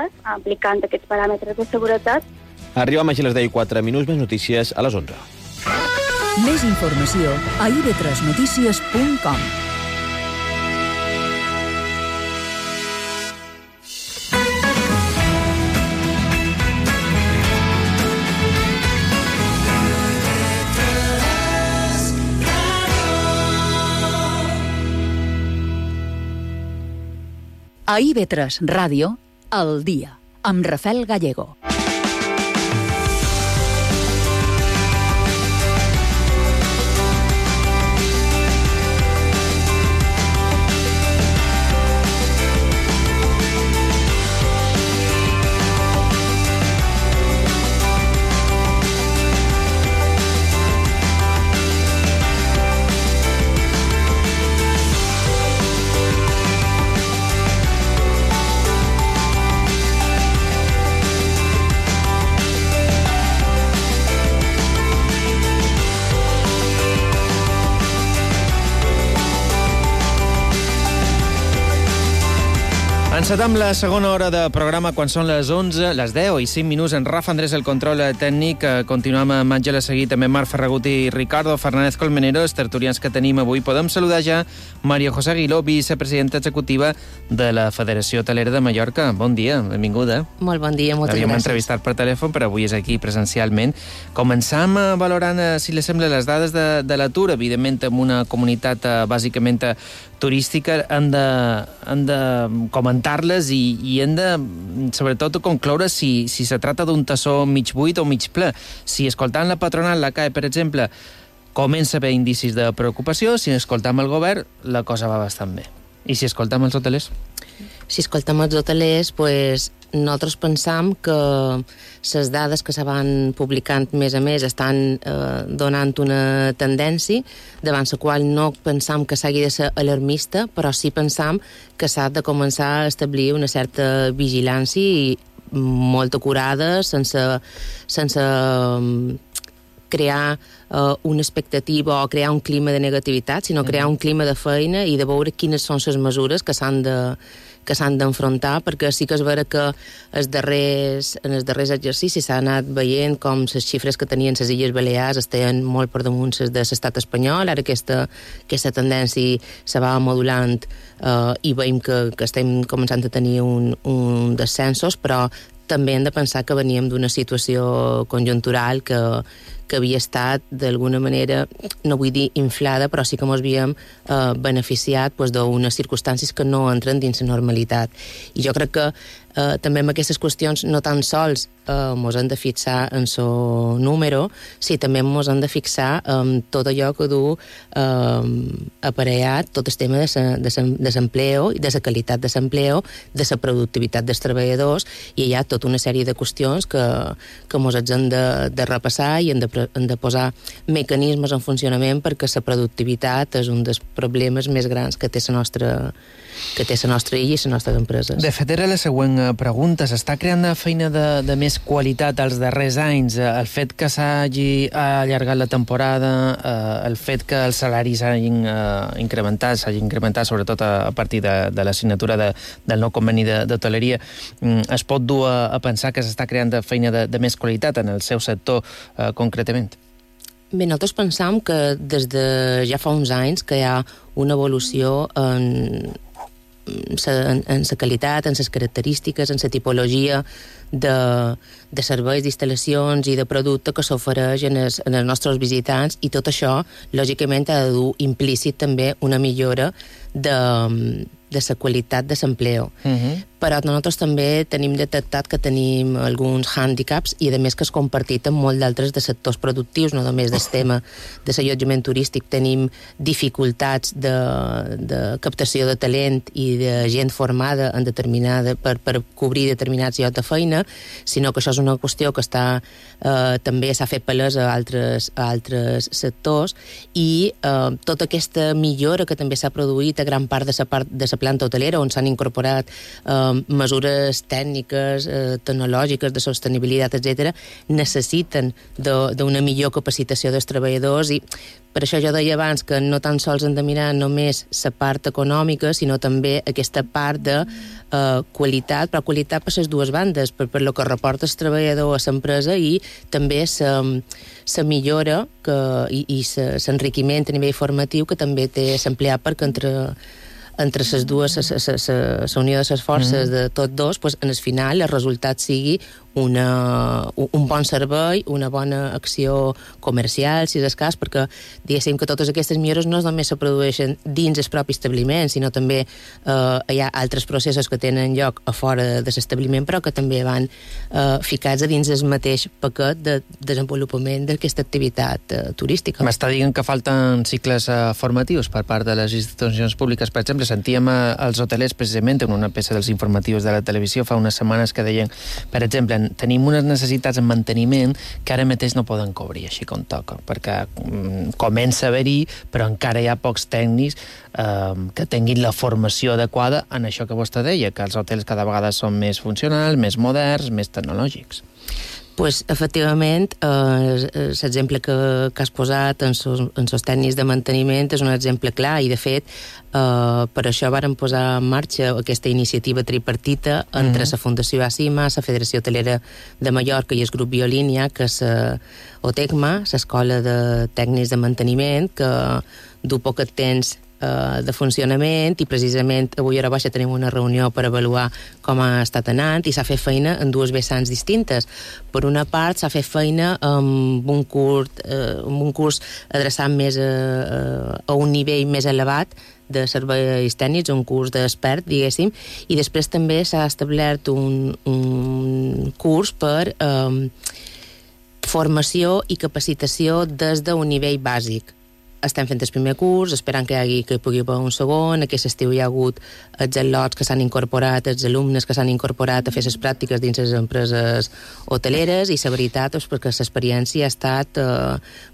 vegades, aplicant aquests paràmetres de seguretat. Arribem així a les 10:04, més notícies a les 11. Més informació a ib3notícies.com. A IB3 Ràdio, al dia, amb Rafael Gallego. Encetem la segona hora de programa quan són les 11, les 10 i 5 minuts. En Rafa Andrés, el control tècnic. Continuem amb Àngela Seguí, també Marc Ferragut i Ricardo Fernández Colmenero, els tertulians que tenim avui. Podem saludar ja Maria José Aguiló, vicepresidenta executiva de la Federació Hotelera de Mallorca. Bon dia, benvinguda. Molt bon dia, moltes gràcies. L'havíem entrevistat per telèfon, però avui és aquí presencialment. Començam valorant, si li sembla, les dades de l'atur. Evidentment, en una comunitat bàsicament turística hem de comentar-les i hem de, sobretot, concloure si se tracta d'un tassó mig buit o mig ple. Si escoltant la patronal, la CAE, per exemple, comença a haver indicis de preocupació, si escoltam el govern, la cosa va bastant bé. I si escoltam els hotelers? Si escoltem els hotelers, pues, nosaltres pensam que les dades que se van publicant més a més estan donant una tendència davant la qual no pensam que s'hagi de ser alarmista, però sí pensam que s'ha de començar a establir una certa vigilància i molt acurada, sense crear una expectativa o crear un clima de negativitat, sinó crear un clima de feina i de veure quines són les mesures que s'han d'enfrontar, perquè sí que és vera que en els darrers exercicis s'ha anat veient com les xifres que tenien les Illes Balears estaven molt per damunt de l'estat espanyol. Ara aquesta tendència se va modulant i veiem que estem començant a tenir un descensos, però també hem de pensar que veníem d'una situació conjuntural que havia estat, d'alguna manera, no vull dir inflada, però sí que ens havíem beneficiat d'unes circumstàncies que no entren dins la normalitat. I jo crec que també en aquestes qüestions no tan sols ens hem de fixar en el número, sí, també ens hem de fixar en tot allò que du aparellat tot el tema de l'empleo i de la qualitat de l'empleo, de la productivitat dels treballadors, i hi ha tota una sèrie de qüestions que ens hem de repassar i hem de posar mecanismes en funcionament, perquè la productivitat és un dels problemes més grans que té la nostra illa i les nostres empreses. De fet, era la següent pregunta. S'està creant feina de més qualitat als darrers anys? El fet que s'hagi allargat la temporada, el fet que els salaris s'hagin incrementat, sobretot a partir de la signatura del nou conveni d'hoteleria, es pot dur a pensar que s'està creant feina de més qualitat en el seu sector concretament? Bé, nosaltres pensam que des de ja fa uns anys que hi ha una evolució en la qualitat, en les característiques, en la tipologia de serveis, d'instal·lacions i de producte que s'ofereix en els nostres visitants, i tot això, lògicament, ha de dur implícit també una millora de la qualitat de l'empleo. Però nosaltres també tenim detectat que tenim alguns hàndicaps, i a més que és compartit amb molt d'altres de sectors productius, no només del tema de l'allotjament turístic. Tenim dificultats de captació de talent i de gent formada en per cobrir determinats llocs de feina, sinó que això és una qüestió que també s'ha fet palesa a altres sectors, i tota aquesta millora que també s'ha produït gran part de la planta hotelera, on s'han incorporat mesures tècniques, tecnològiques, de sostenibilitat, etc., necessiten d'una millor capacitació dels treballadors, i per això jo deia abans que no tan sols hem de mirar només la part econòmica, sinó també aquesta part de qualitat, però qualitat per les dues bandes, per lo que reporta el treballador a l'empresa i també la millora i l'enriquiment a nivell formatiu que també té l'empleat, perquè entre les dues, la unió de les forces de tots dos, pues, en el final el resultat sigui un bon servei, una bona acció comercial, si és el cas, perquè diguéssim que totes aquestes millores no només se produeixen dins el propi establiment, sinó també hi ha altres processos que tenen lloc a fora de l'establiment, però que també van ficats a dins del mateix paquet de desenvolupament d'aquesta activitat turística. M'està dient que falten cicles formatius per part de les institucions públiques. Per exemple, sentíem els hotelers precisament en una peça dels informatius de la televisió fa unes setmanes que deien, per exemple, tenim unes necessitats en manteniment que ara mateix no poden cobrir així com toca, perquè comença a haver-hi, però encara hi ha pocs tècnics que tinguin la formació adequada en això que vostè deia, que els hotels cada vegada són més funcionals, més moderns, més tecnològics. Pues, efectivament, l'exemple que has posat en els tècnics de manteniment és un exemple clar, i de fet per això varen posar en marxa aquesta iniciativa tripartita entre la Fundació ACIMA, la Federació Hotelera de Mallorca i el grup Biolínia, que és OTECMA, l'Escola de Tècnics de Manteniment, que du poc temps de funcionament, i precisament avui a hora baixa tenim una reunió per avaluar com ha estat anant, i s'ha fet feina en dues vessants distintes. Per una part s'ha fet feina amb un curs adreçat més a un nivell més elevat de serveis tècnics, un curs d'expert, diguéssim, i després també s'ha establert un curs per formació i capacitació des d'un nivell bàsic. Estem fent el primer curs, esperant que hi pugui haver un segon. Aquest estiu hi ha hagut els al·lots que s'han incorporat, els alumnes que s'han incorporat a fer les pràctiques dins les empreses hoteleres, i la veritat és perquè l'experiència ha estat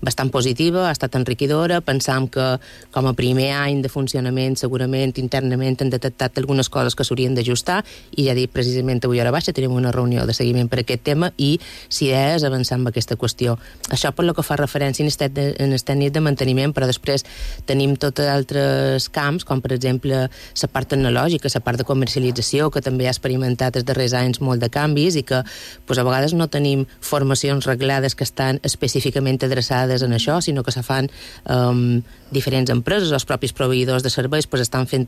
bastant positiva, ha estat enriquidora. Pensam que com a primer any de funcionament segurament internament han detectat algunes coses que s'haurien d'ajustar, i ja dic, precisament avui a hora baixa tenim una reunió de seguiment per aquest tema, i l'idea és avançar amb aquesta qüestió. Això per lo que fa referència en els tècnics de manteniment, però després tenim tots altres camps, com per exemple la part tecnològica, la part de comercialització, que també ha experimentat els darrers anys molt de canvis, i que pues, a vegades no tenim formacions reglades que estan específicament adreçades en això, sinó que se fan diferents empreses. Els propis proveïdors de serveis pues, estan fent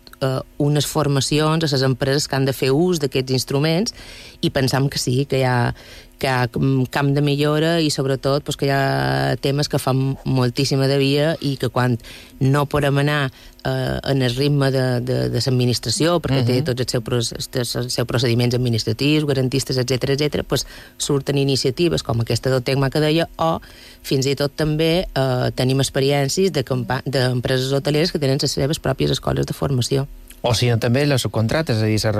unes formacions a les empreses que han de fer ús d'aquests instruments, i pensam que sí, que hi ha camp de millora, i sobretot pues, que hi ha temes que fan moltíssima de via, i que quan no podem anar en el ritme de l'administració, perquè té tots els seus procediments administratius, garantistes, etc., pues, surten iniciatives com aquesta d'OTECMA que deia, o fins i tot també tenim experiències d'empreses hoteleres que tenen les seves pròpies escoles de formació. O si no, també les subcontrates, és a dir, se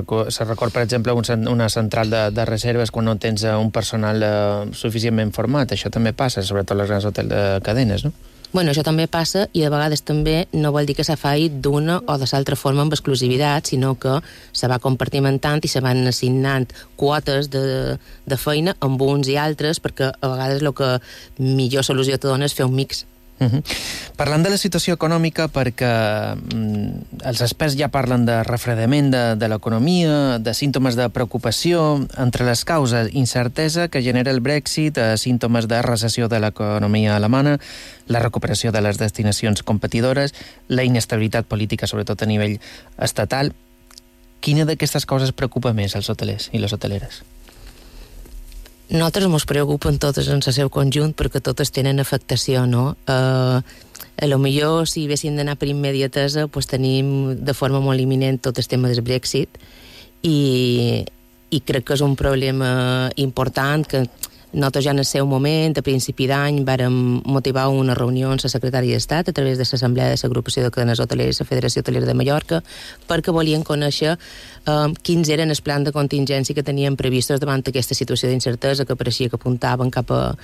record, per exemple, una central de reserves quan no tens un personal suficientment format. Això també passa, sobretot als grans hotels de cadenes, no? Bueno, això també passa, i de vegades també no vol dir que se faci d'una o de l'altra forma amb exclusivitat, sinó que se va compartimentant i se van assignant quotes de feina amb uns i altres, perquè a vegades el que millor solució te dona és fer un mix. Parlant de la situació econòmica, perquè els experts ja parlen de refredament de l'economia, de símptomes de preocupació, entre les causes incertesa que genera el Brexit, símptomes de recessió de l'economia alemana, la recuperació de les destinacions competidores, la inestabilitat política, sobretot a nivell estatal. Quina d'aquestes causes preocupa més als hotelers i les hoteleres? Nosaltres ens preocupen totes en el seu conjunt, perquè totes tenen afectació, no? A lo millor, si haguéssim d'anar per immediatesa, pues tenim de forma molt imminent tot el tema del Brexit, i crec que és un problema important que nosaltres ja en el seu moment, a principi d'any, vàrem motivar una reunió amb la secretària d'Estat a través de l'Assemblea de l'Agrupació de Cadenes Hoteleres, la Federació Hotelera de Mallorca, perquè volien conèixer quins eren els plans de contingència que tenien previstos davant aquesta situació d'incertesa que pareixia que apuntaven cap a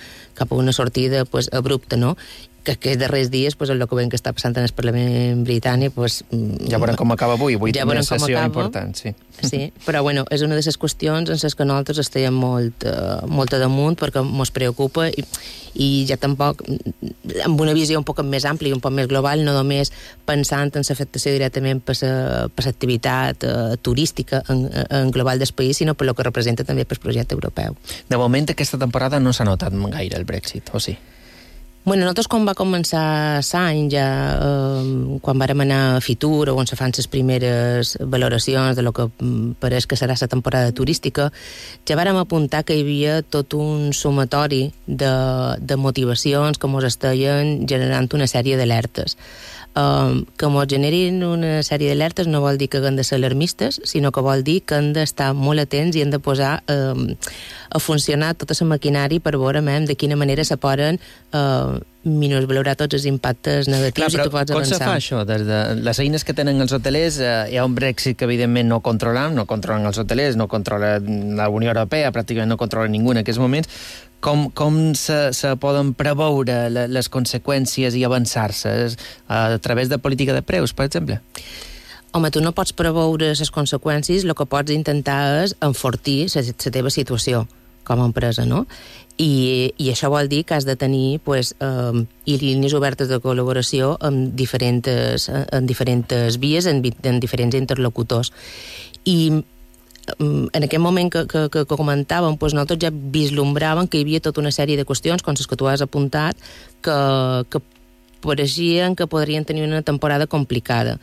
una sortida pues, abrupta, no? que aquests darrers dies, pues, el que veiem que està passant en el Parlament britànic, pues, ja veurem com acaba avui ja també veurem una sessió acaba. important, sí. Sí, però bueno, és una de les qüestions en les que nosaltres estem molt a damunt perquè ens preocupa i ja tampoc, amb una visió un poc més àmplia i un poc més global, no només pensant en l'afectació directament per l'activitat turística en global del país, sinó per el que representa també per el projecte europeu. De moment, aquesta temporada no s'ha notat gaire el Brexit, o sí? Bueno, nosaltres quan va començar l'any, ja quan vàrem anar a Fitur, on se fan les primeres valoracions de lo que pareix que serà la temporada turística, ja vàrem apuntar que hi havia tot un sumatori de motivacions que ens estaven generant una sèrie d'alertes. Que ens generin una sèrie d'alertes no vol dir que haguem de ser alarmistes, sinó que vol dir que hem d'estar molt atents i hem de posar a funcionar tota la maquinària per veure de quina manera se poden minusvalorar tots els impactes negatius. Clar, i tu pots com avançar. se fa això? Des de les eines que tenen els hotelers, hi ha un Brexit que evidentment no controlen els hotelers, no controla la Unió Europea, pràcticament no controla ningú en aquests moments. Com se poden preveure les conseqüències i avançar-se a través de política de preus, per exemple? Home, tu no pots preveure les conseqüències, el que pots intentar és enfortir la teva situació com a empresa, no? I això vol dir que has de tenir línies obertes de col·laboració en diferents vies, en diferents interlocutors. I en aquest moment que comentàvem, nosaltres ja vislumbràvem que hi havia tota una sèrie de qüestions, com les que tu has apuntat, que pareixien que podrien tenir una temporada complicada.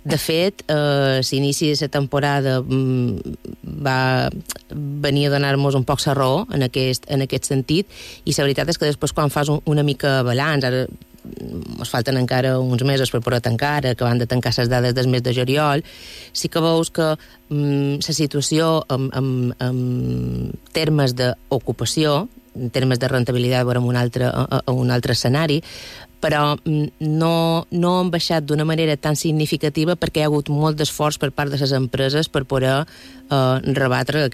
De fet, l'inici de la temporada va venir a donar-nos un poc la raó en aquest sentit, i la veritat és que després quan fas una mica balanç, ara ens falten encara uns mesos per poder tancar, que van de tancar les dades del mes de juliol, sí que veus que la situació en termes d'ocupació, en termes de rentabilitat, veurem un altre escenari, però no han baixat d'una manera tan significativa perquè hi ha hagut molt d'esforç per part de les empreses per poder rebatre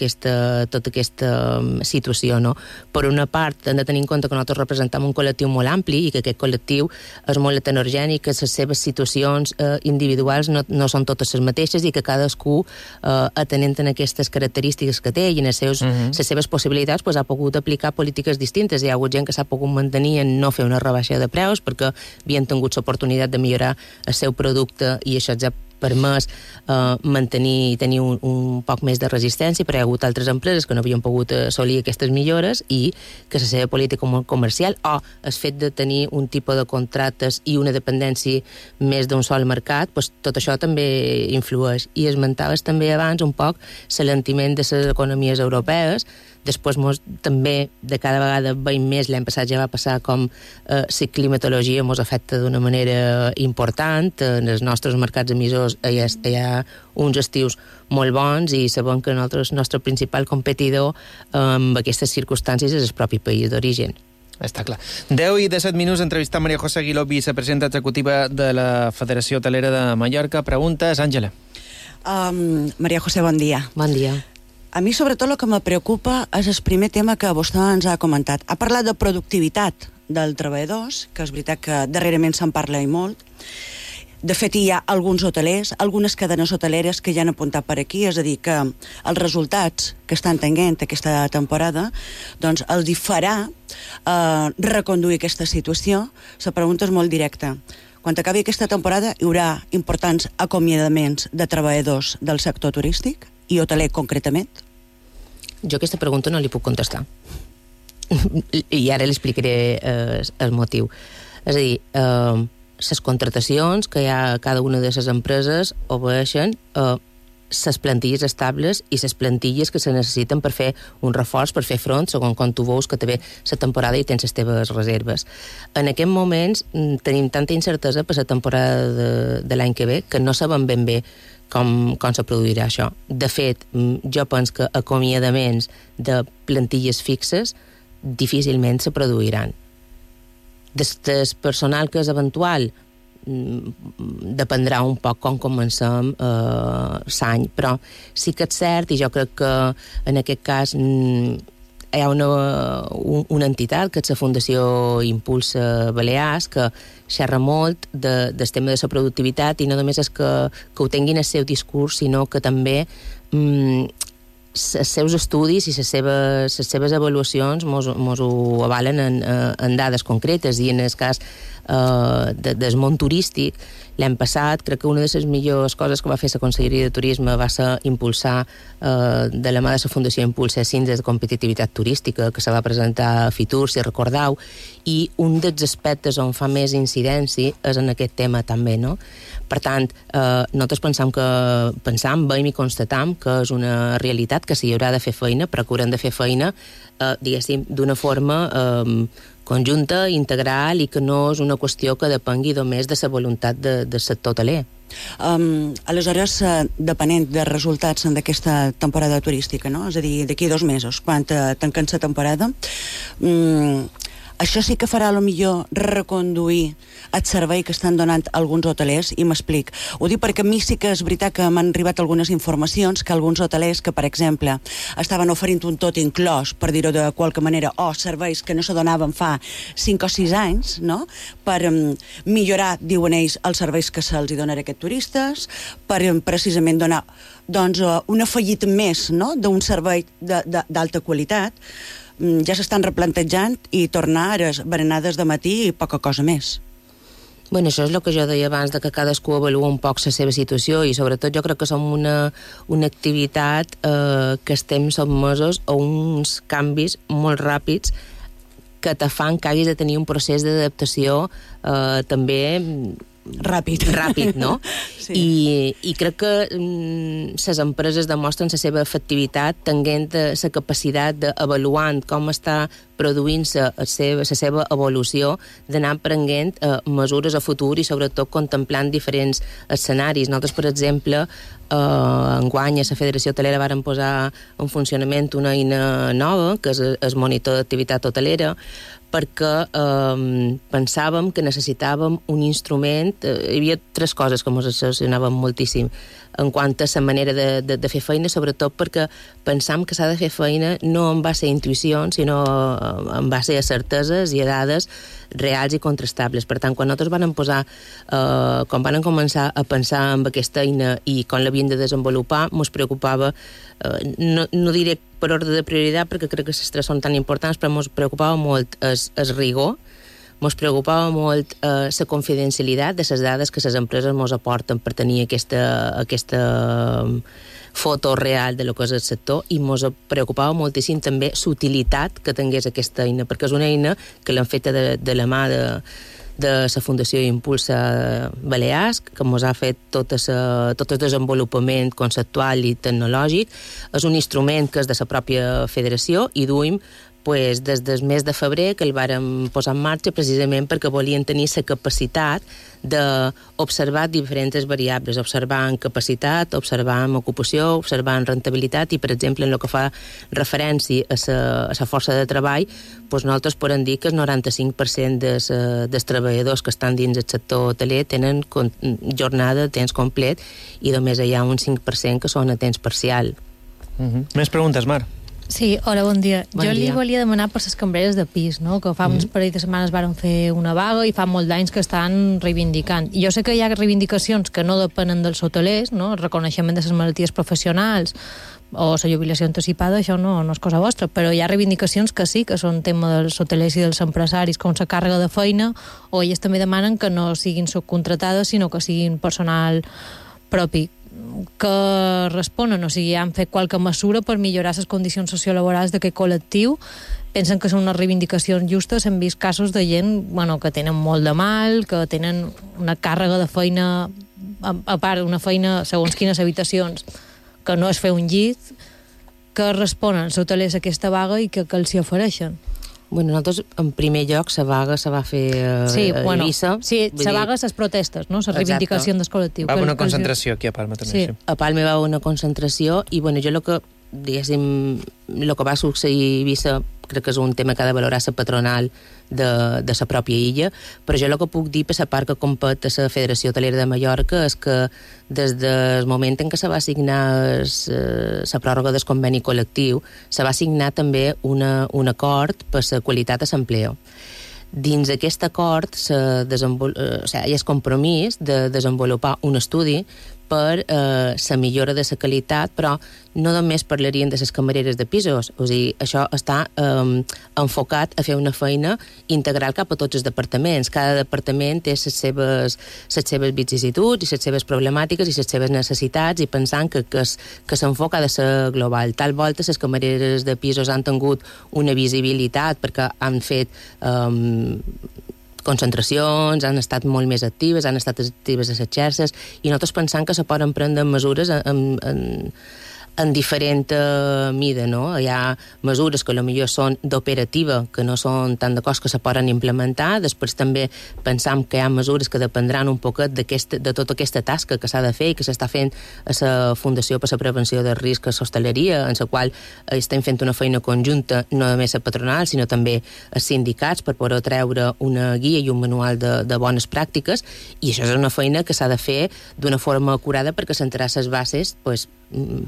tota aquesta situació, no? Per una part, hem de tenir en compte que nosaltres representem un col·lectiu molt ampli i que aquest col·lectiu és molt heterogeni, que les seves situacions individuals no són totes les mateixes i que cadascú, atenent en aquestes característiques que té i en les seves possibilitats, ha pogut aplicar polítiques distintes. Hi ha hagut gent que s'ha pogut mantenir en no fer una rebaixa de preus perquè havien tingut l'oportunitat de millorar el seu producte i això ja permès mantenir i tenir un poc més de resistència, però hi ha hagut altres empreses que no havien pogut assolir aquestes millores i que la seva política comercial o el fet de tenir un tipus de contractes i una dependència més d'un sol mercat, tot això també influeix. I esmentaves també abans un poc l'alentiment de les economies europees. Després també de cada vegada veiem més, l'any passat ja va passar com la climatologia ens afecta d'una manera important. En els nostres mercats emissors hi ha uns estius molt bons i sabem que el nostre principal competidor amb aquestes circumstàncies és el propi país d'origen. Està clar. 10 i 17 minuts, entrevistant Maria José Aguiló, vicepresidenta executiva de la Federació Hotelera de Mallorca. Preguntes, Àngela. Maria José, bon dia. Bon dia. A mi, sobretot, el que me preocupa és el primer tema que vostè ens ha comentat. Ha parlat de productivitat dels treballadors, que és veritat que darrerament se'n parla i molt. De fet, hi ha alguns hotelers, algunes cadenes hoteleres que ja han apuntat per aquí, és a dir, que els resultats que estan tenint aquesta temporada doncs els farà reconduir aquesta situació. La pregunta és molt directa. Quan acabi aquesta temporada hi haurà importants acomiadaments de treballadors del sector turístic i hoteler concretament? Jo aquesta pregunta no li puc contestar. I ara li explicaré el motiu. És a dir, les contratacions que hi ha a cada una de les empreses obeeixen les plantilles estables i les plantilles que se necessiten per fer un reforç, per fer front, segons quan tu veus que te ve la temporada i tens les teves reserves. En aquests moments tenim tanta incertesa per la temporada de l'any que ve que no sabem ben bé com se produirà això. De fet, jo penso que acomiadaments de plantilles fixes difícilment se produiran. Del personal que és eventual dependrà un poc com comencem l'any, però sí que és cert, i jo crec que en aquest cas hi ha una entitat, que és la Fundació Impulsa Balears, que xerra molt del tema de la productivitat, i no només és que ho tinguin el seu discurs, sinó que també els seus estudis i les seves avaluacions mos ho avalen en dades concretes, i en el cas del món turístic, l'any passat crec que una de les millors coses que va fer la Conselleria de Turisme va ser impulsar de la mà de la Fundació Impulsa l'índex de competitivitat turística, que se va presentar a Fitur, si recordeu, i un dels aspectes on fa més incidència és en aquest tema també, no? Per tant, nosaltres veiem i constatam que és una realitat, que s'hi haurà de fer feina, però que haurem de fer feina, diguéssim, d'una forma conjunta, integral, i que no és una qüestió que depengui només de la voluntat del sector hoteler. Aleshores, depenent dels resultats d'aquesta temporada turística, no? És a dir, d'aquí 2 mesos, quan tanquen la temporada, això sí que farà millor reconduir el servei que estan donant alguns hotelers, i m'explic. Ho dic perquè a mi sí que és veritat que m'han arribat algunes informacions que alguns hotelers que, per exemple, estaven oferint un tot inclòs, per dir-ho de qualque manera, o serveis que no se donaven fa 5 o 6 anys, no? Per millorar, diuen ells, els serveis que se'ls donen a aquests turistes, per precisament donar un afegit més, no?, d'un servei d'alta qualitat, ja s'estan replantejant i tornar a les berenades de matí i poca cosa més. Bueno, això és el que jo deia abans, de que cadascú avalua un poc la seva situació, i sobretot jo crec que som una activitat que estem sotmesos a uns canvis molt ràpids que te fan que hagis de tenir un procés d'adaptació també ràpid, no? Sí. I crec que les empreses demostren la seva efectivitat tenint la capacitat d'avaluant com està produint-se la seva evolució, d'anar prenent mesures a futur i sobretot contemplant diferents escenaris. Nosaltres, per exemple, enguany a la Federació Hotelera vàrem posar en funcionament una eina nova, que és el monitor d'activitat hotelera, perquè pensàvem que necessitàvem un instrument. Hi havia 3 coses que ens associaven moltíssim en quant a la manera de fer feina, sobretot perquè pensam que s'ha de fer feina no en base a intuïcions, sinó en base a certeses i a dades reals i contrastables. Per tant, quan nosaltres quan van començar a pensar en aquesta eina i com l'havien de desenvolupar, ens preocupava, no diré per ordre de prioritat, perquè crec que les 3 són tan importants, però ens preocupava molt el rigor, ens preocupava molt la confidencialitat de les dades que les empreses ens aporten per tenir aquesta foto real de lo que és el sector, i ens preocupava moltíssim també l'utilitat que tingués aquesta eina, perquè és una eina que l'han feta de la mà de la Fundació Impulsa Balears, que ens ha fet tot el desenvolupament conceptual i tecnològic. És un instrument que és de la pròpia federació, i duim des del mes de febrer que el vàrem posar en marxa precisament perquè volien tenir la capacitat d'observar diferents variables, observar en capacitat, observar en ocupació, observar en rentabilitat, i, per exemple, en el que fa referència a la força de treball, nosaltres podem dir que el 95% dels treballadors que estan dins del sector hoteler tenen jornada a temps complet, i només hi ha un 5% que són a temps parcial. Més preguntes, Mar? Sí, hola, bon dia. Bon jo dia. li volia demanar per les cambreres de pis, no? Que fa uns parell de setmanes varen fer una vaga i fa molts d'anys que estan reivindicant. I jo sé que hi ha reivindicacions que no depenen dels hotelers, no? El reconeixement de les malalties professionals o la jubilació anticipada, això no és cosa vostra, però hi ha reivindicacions que sí, que són tema dels hotelers i dels empresaris, com la càrrega de feina, o ells també demanen que no siguin subcontratades, sinó que siguin personal propi. Que responen, o sigui, han fet qualque mesura per millorar les condicions sociolaborals d'aquest col·lectiu. Pensen que són unes reivindicacions justes. Hem vist casos de gent que tenen molt de mal, que tenen una càrrega de feina, a part una feina segons quines habitacions, que no és fer un llit. Que responen els hotelers a aquesta vaga i que els hi ofereixen? Nosaltres, en primer lloc, la vaga se va fer a Eivissa. Sí, la vaga, les protestes, no? La reivindicació del col·lectiu. Va haver una concentració aquí a Palma, també. Sí. A Palma va haver una concentració, i jo el que va succeir a Eivissa crec que és un tema que ha de valorar la patronal de la pròpia illa, però jo el que puc dir per la part que compet a la Federació Hotelera de Mallorca és que des del moment en què se va signar la pròrroga del conveni col·lectiu, se va signar també un acord per la qualitat de l'empleo. Dins aquest acord hi ha el compromís de desenvolupar un estudi per la millora de la qualitat, però no només parlarien de les camareres de pisos. O sigui, això està enfocat a fer una feina integral cap a tots els departaments. Cada departament té les seves vicissituds i les seves problemàtiques i les seves necessitats, i pensant que s'enfoca ha de ser global. Tal volta les camareres de pisos han tingut una visibilitat perquè han fet concentracions, han estat molt més actives, han estat actives a les xarxes, i nosaltres pensant que se poden prendre mesures en diferent mida, no? Hi ha mesures que potser són d'operativa, que no són tant de cos que se poden implementar. Després també pensam que hi ha mesures que dependran un poquet de tota aquesta tasca que s'ha de fer i que s'està fent a la Fundació per la Prevenció de Risc a l'Hostaleria, en la qual estem fent una feina conjunta, no només a patronal, sinó també als sindicats, per poder treure una guia i un manual de bones pràctiques, i això és una feina que s'ha de fer d'una forma acurada perquè sentarà les bases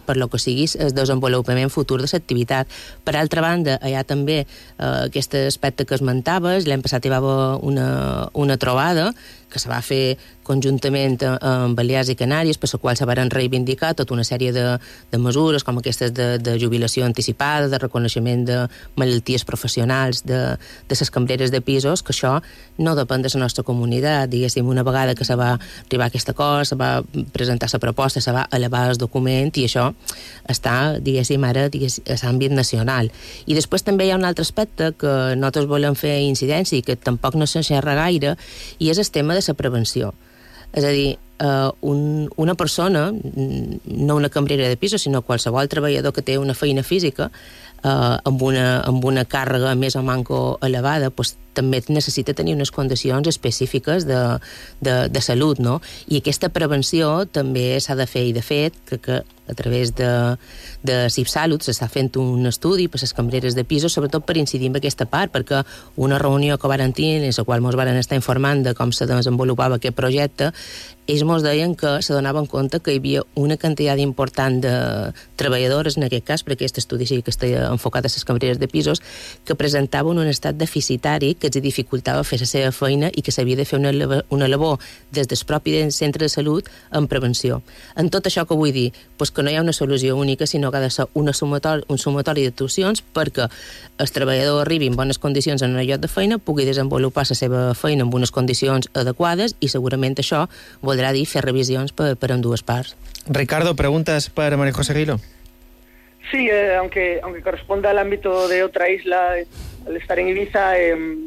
per lo que sigui el desenvolupament futur de l'activitat. Per altra banda, hi ha també aquest aspecte que esmentaves. L'any passat hi va haver una trobada que se va fer conjuntament amb Balears i Canàries, per la qual se van reivindicar tota una sèrie de mesures, com aquestes de jubilació anticipada, de reconeixement de malalties professionals de les cambreres de pisos, que això no depèn de la nostra comunitat. Diguéssim, una vegada que se va arribar a aquest acord, se va presentar la proposta, se va elevar el document, i això està, diguéssim, ara a l'àmbit nacional. I després també hi ha un altre aspecte que nosaltres volem fer incidència i que tampoc no s'enxerra gaire, i és el tema de la prevenció. És a dir, una persona, no una cambrera de pisos, sinó qualsevol treballador que té una feina física amb una càrrega més o manco elevada, també necessita tenir unes condicions específiques de salut, no? I aquesta prevenció també s'ha de fer, i de fet, que a través de CIPSALUT s'està fent un estudi per les cambreres de pisos, sobretot per incidir en aquesta part, perquè una reunió que varen tenir, en la qual ens van estar informant de com se desenvolupava aquest projecte, ells ens deien que se donaven compte que hi havia una quantitat important de treballadores, en aquest cas, perquè aquest estudi sí que està enfocat a les cambreres de pisos, que presentaven un estat deficitari que els dificultava fer la seva feina i que s'havia de fer una labor des del propi centre de salut en prevenció. En tot això que vull dir, que no hi ha una solució única, sinó que ha de ser un sumatori d'actuacions perquè el treballador arribi en bones condicions en un lloc de feina, pugui desenvolupar la seva feina en unes condicions adequades, i segurament això voldrà dir fer revisions per ambdues parts. Ricardo, preguntas para María José Guilo. Sí, aunque corresponda al ámbito de otra isla, al estar en Ibiza,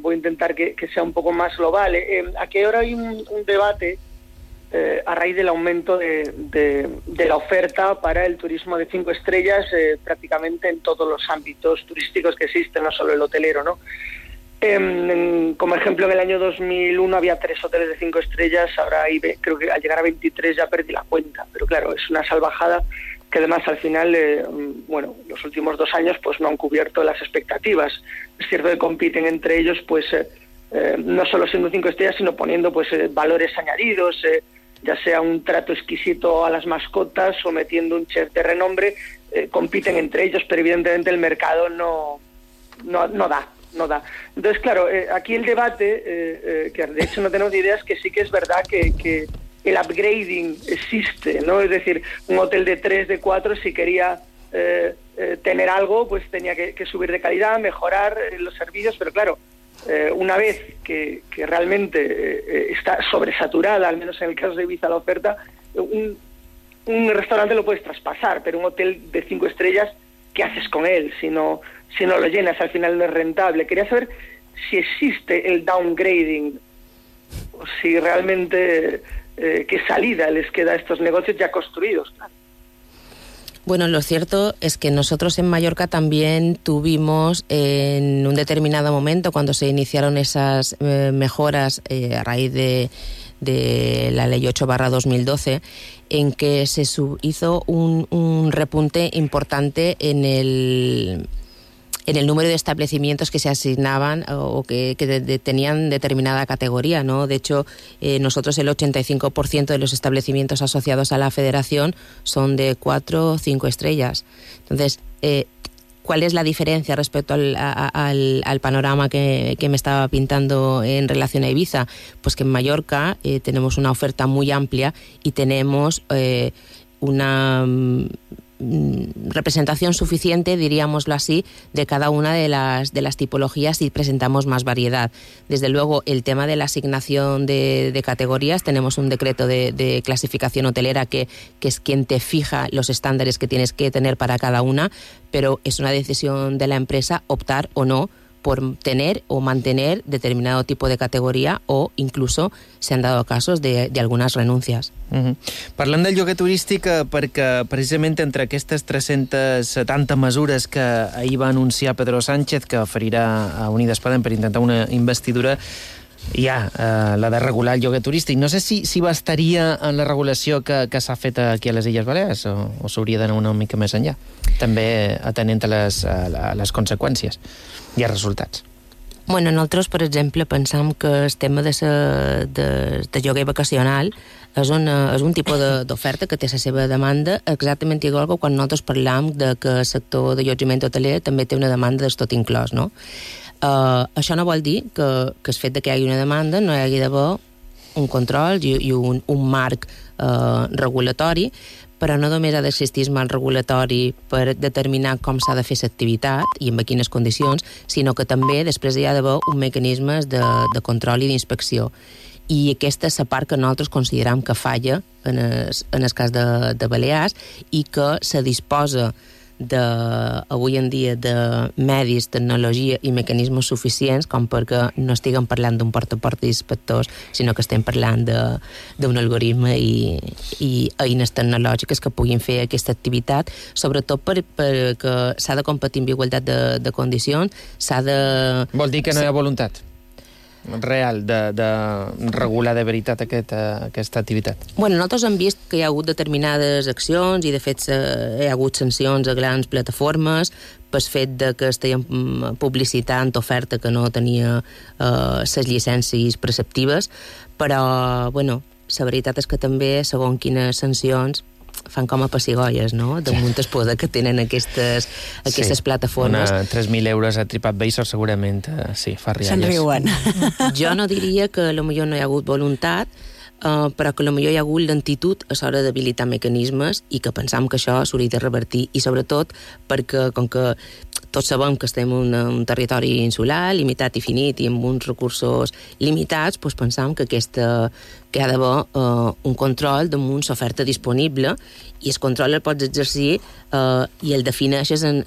voy a intentar que sea un poco más global. Aquí ahora hay un debate a raíz del aumento de la oferta para el turismo de 5 estrellas prácticamente en todos los ámbitos turísticos que existen, no solo el hotelero, ¿no? Como ejemplo, en el año 2001 había 3 hoteles de 5 estrellas, ahora creo que al llegar a 23 ya perdí la cuenta, pero claro, es una salvajada que además al final, los últimos 2 años pues no han cubierto las expectativas. Es cierto que compiten entre ellos, pues no solo siendo 5 estrellas, sino poniendo pues valores añadidos, ya sea un trato exquisito a las mascotas o metiendo un chef de renombre, compiten entre ellos, pero evidentemente el mercado no da. Entonces, claro, aquí el debate, que de hecho no tenemos ni idea, es que sí que es verdad que el upgrading existe, ¿no? Es decir, un hotel de 3, de 4, si quería tener algo, pues tenía que subir de calidad, mejorar los servicios, pero claro, una vez que realmente está sobresaturada, al menos en el caso de Ibiza, la oferta, un restaurante lo puedes traspasar, pero un hotel de 5 estrellas, ¿qué haces con él si no lo llenas? Al final no es rentable. Quería saber si existe el downgrading, o si realmente qué salida les queda a estos negocios ya construidos. Claro. Bueno, lo cierto es que nosotros en Mallorca también tuvimos en un determinado momento, cuando se iniciaron esas mejoras a raíz de la Ley 8/2012, en que se hizo un repunte importante en en el número de establecimientos que se asignaban o que tenían determinada categoría, ¿no? De hecho, nosotros el 85% de los establecimientos asociados a la federación son de 4 o 5 estrellas. Entonces, ¿cuál es la diferencia respecto al panorama que me estaba pintando en relación a Ibiza? Pues que en Mallorca tenemos una oferta muy amplia y tenemos una representación suficiente, diríamoslo así, de cada una de las tipologías y presentamos más variedad. Desde luego, el tema de la asignación de categorías, tenemos un decreto de clasificación hotelera que es quien te fija los estándares que tienes que tener para cada una, pero es una decisión de la empresa optar o no por tener o mantener determinado tipo de categoria, o incluso se han dado casos de algunes renúncies. Parlant del lloguer turístic, perquè precisament entre aquestes 370 mesures que ahir va anunciar Pedro Sánchez que oferirà a Unides Podem per intentar una investidura, hi ha la de regular el lloguer turístic. No sé si bastaria en la regulació que s'ha fet aquí a les Illes Balears o s'hauria d'anar una mica més enllà, també atenent a les conseqüències i els resultats. Bueno, nosaltres, per exemple, pensam que el tema de lloguer vacacional és un tipus d'oferta que té la seva demanda exactament igual que quan nosaltres parlam de que el sector d'allotjament hoteler també té una demanda del tot inclòs, no? Això no vol dir que el fet que hi hagi una demanda no hi hagi d'haver un control i un marc regulatori, però no només ha d'existir marc regulatori per determinar com s'ha de fer l'activitat i en quines condicions, sinó que també després hi ha d'haver un mecanisme de control i d'inspecció. I aquesta és la part que nosaltres consideram que falla en el cas de Balears i que se disposa avui en dia de medis, tecnologia i mecanismes suficients com perquè no estiguem parlant d'un porta a porta d'inspectors, sinó que estem parlant d'un algoritme i eines tecnològiques que puguin fer aquesta activitat, sobretot perquè s'ha de competir en igualtat de condicions, s'ha de... Vol dir que no hi ha voluntat real de regular de veritat aquesta activitat? Bueno, nosaltres hem vist que hi ha hagut determinades accions i de fet hi ha hagut sancions a grans plataformes pel fet de que estiguem publicitant oferta que no tenia les llicències preceptives, però bueno, la veritat és que també segons quines sancions fan com a pessigolles, no?, damunt el poder que tenen aquestes plataformes. 3.000 euros a TripAdvisor segurament sí, fa rialles. Se'n riuen. Jo no diria que potser no hi ha hagut voluntat, però que potser hi ha hagut lentitud a l'hora d'habilitar mecanismes i que pensam que això s'hauria de revertir, i sobretot perquè, com que tots sabem que estem en un territori insular, limitat i finit i amb uns recursos limitats, doncs pensam que hi ha d'haver un control damunt l'oferta disponible, i el control el pots exercir i el defineixes en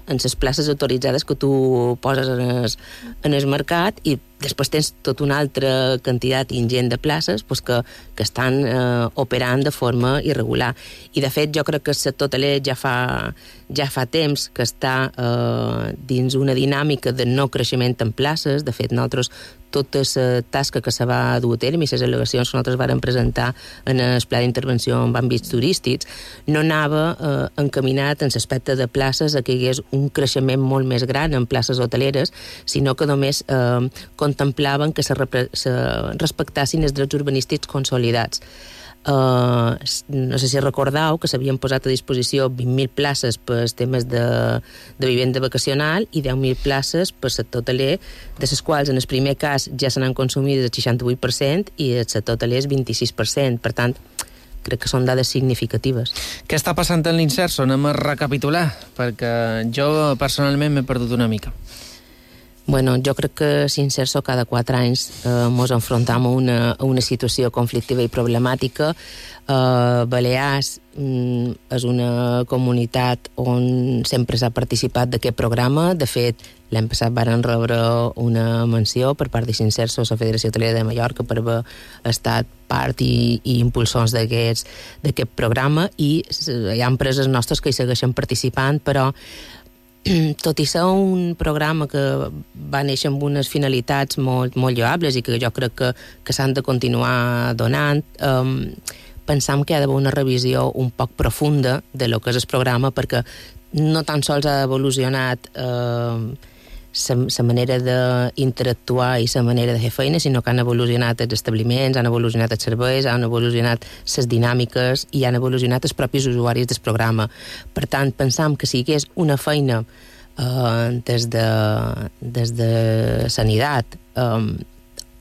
les places autoritzades que tu poses en el mercat, i després tens tota una altra quantitat ingent de places doncs, que estan operant de forma irregular. I de fet jo crec que el sector hoteler ja fa temps que està dins una dinàmica de no creixement en places. De fet, nosaltres tota la tasca que se va dur a terme i les al·legacions que nosaltres vàrem presentar en el pla d'intervenció en àmbits turístics no anava encaminat en l'aspecte de places a que hi hagués un creixement molt més gran en places hoteleres, sinó que només contemplaven que se respectassin els drets urbanístics consolidats. No sé si recordeu que s'havien posat a disposició 20.000 places per temes de vivenda vacacional i 10.000 places per sector hoteler, de les quals en el primer cas ja se n'han consumit el 68% i el sector hoteler el 26%. Per tant, crec que són dades significatives. Què està passant en l'Inserso? Anem a recapitular, perquè jo personalment m'he perdut una mica. Bueno, jo crec que l'Inserso cada 4 anys ens enfrontam a una situació conflictiva i problemàtica. Balears és una comunitat on sempre s'ha participat d'aquest programa. De fet, l'any passat varen rebre una menció per part de l'Inserso a la Federació Hotelera de Mallorca per haver estat part i impulsors d'aquest programa, i hi ha empreses nostres que hi segueixen participant, però tot i ser un programa que va néixer amb unes finalitats molt lloables i que jo crec que s'han de continuar donant, pensam que hi ha d'haver una revisió un poc profunda de lo que és el programa, perquè no tan sols ha evolucionat la manera d'interactuar i la manera de fer feina, sinó que han evolucionat els establiments, han evolucionat els serveis, han evolucionat les dinàmiques i han evolucionat els propis usuaris del programa. Per tant, pensam que si hi hagués una feina des de Sanitat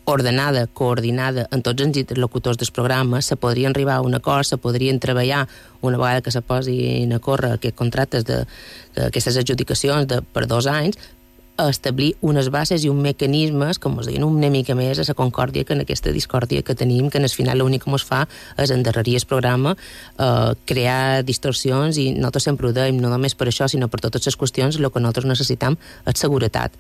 ordenada, coordinada en tots els interlocutors del programa, se podrien arribar a un acord, se podrien treballar una vegada que se posin a córrer aquests contractes d'aquestes adjudicacions per 2 anys, a establir unes bases i uns mecanismes que ens deien una mica més a la concòrdia que en aquesta discòrdia que tenim, que al final l'únic que ens fa és endarrerir el programa, crear distorsions, i nosaltres sempre ho dèiem, no només per això, sinó per totes les qüestions, el que nosaltres necessitam és seguretat.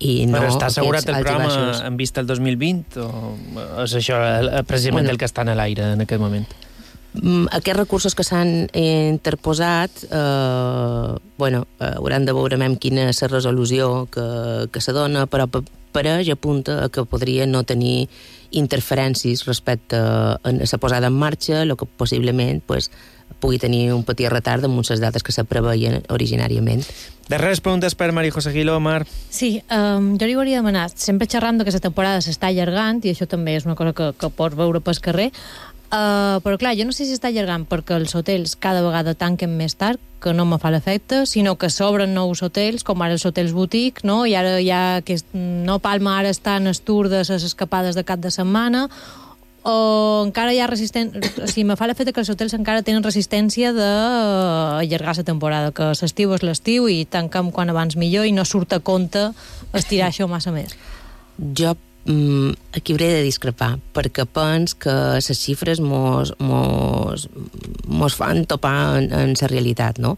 Però està assegurat el programa en vista el 2020 o és això precisament el que està en l'aire en aquest moment? Aquests recursos que s'han interposat hauran de veure quina és la resolució que se dona, però pareix apunta que podria no tenir interferències respecte a la posada en marxa, el que possiblement pugui tenir un petit retard amb les dates que se preveien originàriament. Darreres preguntes per María José Aguiló, Mar. Sí, jo li hauria demanat, sempre xerrant que la temporada s'està allargant, i això també és una cosa que pots veure pel carrer, però clar, jo no sé si està allargant perquè els hotels cada vegada tanquen més tard, que no me fa l'efecte, sinó que s'obren nous hotels, com ara els hotels boutique, no? I ara ja que Palma ara està en el tour de les escapades de cap de setmana, o encara hi ha resistència, o sigui, me fa l'efecte que els hotels encara tenen resistència d'allargar la temporada, que l'estiu és l'estiu i tanquem quan abans millor i no surt a compte estirar això massa més. Jo aquí hauré de discrepar, perquè penso que les xifres mos fan topar en la realitat, no?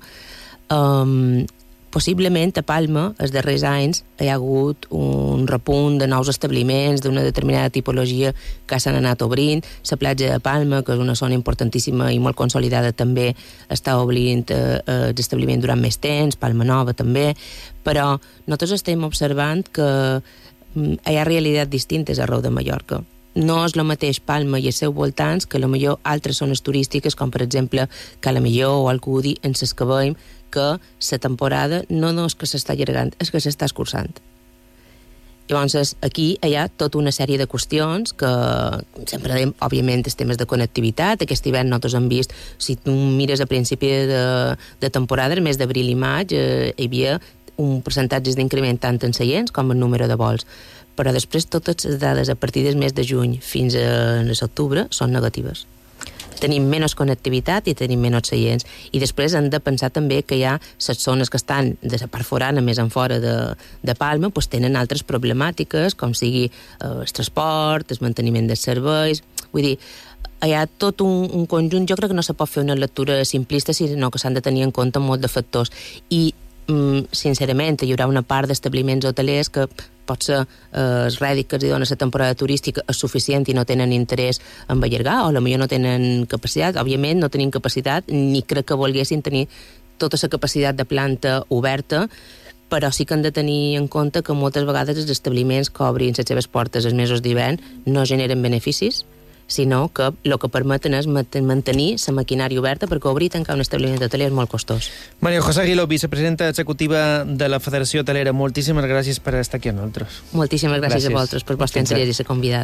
Possiblement a Palma, els darrers anys, hi ha hagut un repunt de nous establiments d'una determinada tipologia que s'han anat obrint. La platja de Palma, que és una zona importantíssima i molt consolidada, també està obrint l'establiment durant més temps, Palma Nova també, però nosaltres estem observant que hi ha realitats distintes arreu de Mallorca. No és el mateix Palma i els seus voltants que potser altres zones turístiques, com per exemple Cala Millor o Alcúdia, en les que veiem que la temporada no és que s'està allargant, és que s'està escurçant. Llavors, aquí hi ha tota una sèrie de qüestions que sempre dèiem, òbviament, els temes de connectivitat. Aquest hivern nosaltres hem vist, si tu mires a principi de temporada, el mes d'abril i maig, hi havia un percentatge d'increment tant en seients com en número de vols. Però després totes les dades a partir del mes de juny fins a l'octubre són negatives. Tenim menys connectivitat i tenim menys seients. I després hem de pensar també que hi ha les zones que estan de la part forana, més en fora de Palma, tenen altres problemàtiques, com sigui el transport, el manteniment dels serveis. Vull dir, hi ha tot un conjunt. Jo crec que no se pot fer una lectura simplista, sinó que s'han de tenir en compte molt de factors. I sincerament, hi haurà una part d'establiments hotelers que potser el rèdit que els dona la temporada turística és suficient i no tenen interès en allargar, o potser no tenen capacitat. Òbviament no tenim capacitat, ni crec que volguessin tenir tota la capacitat de planta oberta, però sí que han de tenir en compte que moltes vegades els establiments que obrin les seves portes els mesos d'hivern no generen beneficis, sinó que el que permeten és mantenir la maquinària oberta, perquè obrir i tancar un establiment hoteler és molt costós. María José Aguiló, vicepresidenta executiva de la Federació Hotelera, moltíssimes gràcies per estar aquí amb nosaltres. Moltíssimes gràcies a vosaltres per vostre interès i ser convidada.